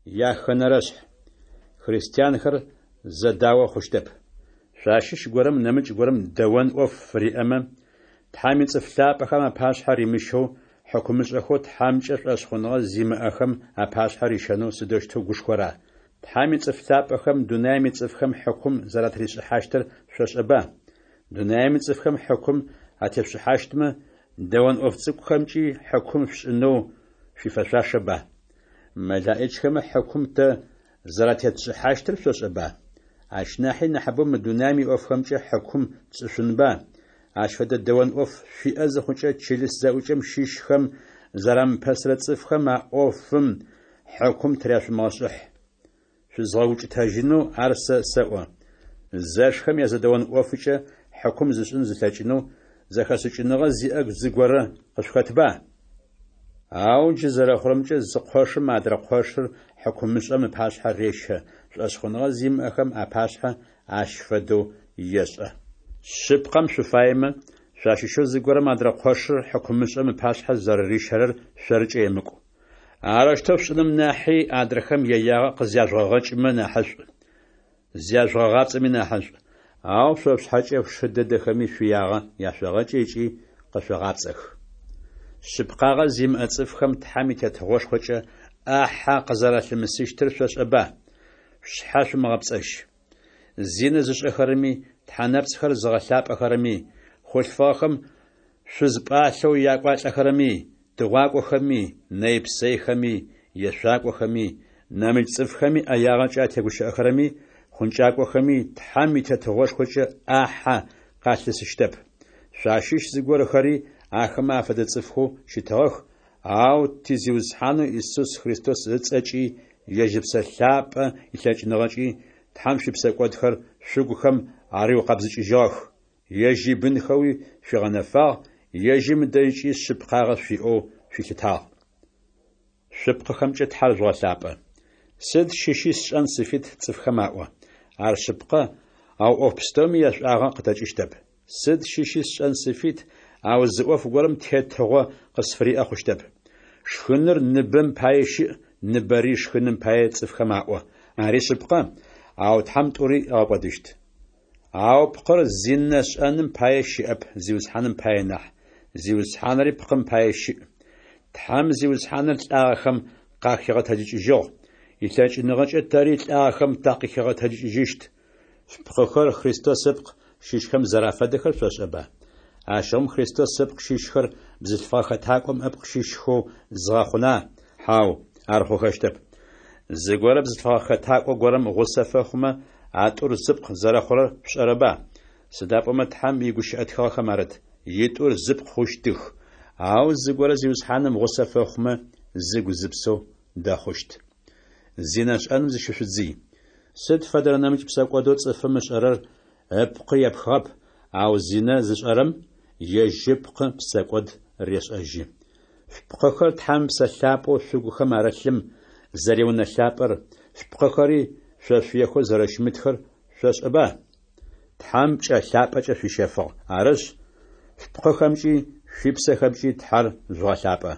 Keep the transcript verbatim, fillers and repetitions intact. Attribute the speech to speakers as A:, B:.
A: Яхэнэрэшъхь. Христианхэр зэдао хъущтэп. Шъуащыщ горэм нэмыкӏ горэм дэон ӏоф фыриӏэмэ, Тхьэм ицӏыф лъапӏэхэм апашъхьэ римыщэу, хьыкумышӏэхэу Тхьэмкӏэ шӏошъхъуныгъэ зимыӏэхэм апашъхьэ рищэнэу сыдэущтэу гушхора? Тхьэм ицӏыф лъапӏэхэм дунаим ицӏыфхэм хьыкум зэратришӏыхьащтыр шъошӏэба? Дунаим ицӏыфхэм хьыкум атешъушӏыхьащтмэ, дэон ӏоф цӏыкӏухэмкӏи хьыкум шъушӏынэу шъуифэшъуашэба? МэлаӀичхэмэ хьыкум тэ зэратетшӏыхьащтыр шъошӏэба? Ащ нахьи нахьыбэу мы дунаим иӏофхэмкӏэ хьыкум тшӏышъунба? Ащ фэдэ дэон ӏоф шъуиӏэ зыхъукӏэ, чылыс зэӏукӏэм щыщхэм зэрамыпэсырэ цӏыфхэм а ӏофым хьыкум тыряшъумыгъэшӏыхь. Шъузгъэукӏытэжьынэу ар сэ сэӏо. Зэшхэм язэдэон ӏофыкӏэ хьыкум зышӏын зылъэкӏынэу зэхэшӏыкӏыныгъэ зиӏэ зыгорэ къышъухэтба? Ау джы зэрэхъурэмкӏэ, зы къошым адрэ къошыр хьыкумышӏэм ыпашъхьэ рещэ, шӏошъхъуныгъэ зимыӏэхэм апашъхьэ ащ фэдэу ешӏэ. Шъыпкъэм шъуфаемэ, шъуащыщэу зыгорэм адрэ къошыр хьыкумышӏэм ыпашъхьэ зэрэрищэрэр шъоркӏэ емыкӏу. Арэущтэу шъушӏыным нахьи, адрэхэм яягъэ къызяжъугъэгъэкӏымэ нахьышӏу, зяжъугъэгъапцӏэми нахьышӏу. Ау шъо шъушъхьэкӏэ шъушы дэдэхэми шъуиягъэ яшъогъэкӏы ыкӏи къэшъогъапцӏэх. Шъыпкъагъэ зимыӏэ цӏыфхэм Тхьэм и Тетыгъошхокӏэ ӏахьэ къызэралъымысыщтыр шъошӏэба? Шъушъхьэ шъумыгъэпцӏэжь. Зинэ зышӏэхэрэми, тхьэ нэпцӏхэр зыгъэлъапӏэхэрэми, хъулъфыгъэхэм шъуз пӏалъэу якӏуалӏэхэрэми, тыгъуакӏохэми, нэй-псэйхэми, ешъуакӏохэми, нэмыкӏ цӏыфхэми ӏэягъэкӏэ атегущыӏэхэрэми, хъункӏакӏохэми Тхьэм и Тетыгъошхокӏэ ӏахьэ къалъысыщтэп. Шъуащыщ зыгорэхэри ахэмэ афэдэ цӏыфхэу щытыгъэх, ау ти Зиусхьанэу Исус Христос ыцӏэкӏи, ежь Ыпсэ Лъапӏэ илъэкӏыныгъэкӏи Тхьэм шъуипсэкӏодхэр шъугухэм ариукъэбзыкӏыжьыгъэх, ежь ибынхэуи шъуигъэнэфагъ, ежьым ыдэжькӏи шъыпкъагъэ шъуиӏэу шъуилъытагъ. Шъупкъыхэмкӏэ Тхьэр жъугъэлъапӏэ. Сыд щыщи сшӏэн сыфит цӏыфхэм аӏо. Ар шъыпкъэ, ау ӏоф пстэуми яшӏуагъэ къытэкӏыщтэп. Сыд щыщи сшӏэн сыфит, ау зы ӏоф горэм тетыгъо къысфыриӏэ хъущтэп. Шхыныр ныбэм пае щыӏ, ныбэри шхыным пае цӏыфхэм аӏо. Ари шъыпкъэ, ау Тхьэм тӏури ыгъэкӏодыщт. Ау пкъыр зинэ шӏэным пае щыӏэп, Зиусхьаным пае нахь, Зиусхьаныри пкъым пае щыӏ. Тхьэм Зиусхьаныр лӏагъэхэм къахигъэтэджыкӏыжьыгъ, илъэкӏыныгъэкӏэ тэри лӏагъэхэм такъыхигъэтэджыкӏыжьыщт. Шъупкъыхэр Христос ыпкъ щыщхэм зэрафэдэхэр шъошӏэба? Ащыгъум Христос ыпкъ щыщхэр бзылъфыгъэ хэтакӏом ыпкъ щыщхэу згъэхъуна? Хьау, ар хъухэщтэп. Зыгорэ бзылъфыгъэ хэтакӏо горэм гъусэ фэхъумэ, а тӏур зыпкъ зэрэхъурэр шъушӏэрэба? Сыда пӏомэ Тхьэм игущыӏэ тхыгъэхэм арыт: «Итӏур зыпкъ хъущтых». Ау зыгорэ Зиусхьаным гъусэ фэхъумэ, зыгу-зыпсэу дэхъущт. Зинэ шӏэным зыщышъудзый. Сыд фэдэрэ нэмыкӏ псэкӏодэу цӏыфым ышӏэрэр ыпкъы епхыгъэп, ау зинэ зышӏэрэм ежь ыпкъы псэкӏод решӏэжьы. Шъупкъыхэр Тхьэм Ыпсэ Лъапӏэу шъугухэм арылъым зэриунэ лъапӏэр, шъупкъыхэри шъошъуехэу зэрэщымытхэр шъошӏэба? Тхьэм пкӏэ лъапӏэкӏэ шъуищэфыгъ. Арышъ, шъупкъыхэмкӏи шъуипсэхэмкӏи Тхьэр жъугъэлъапӏэ.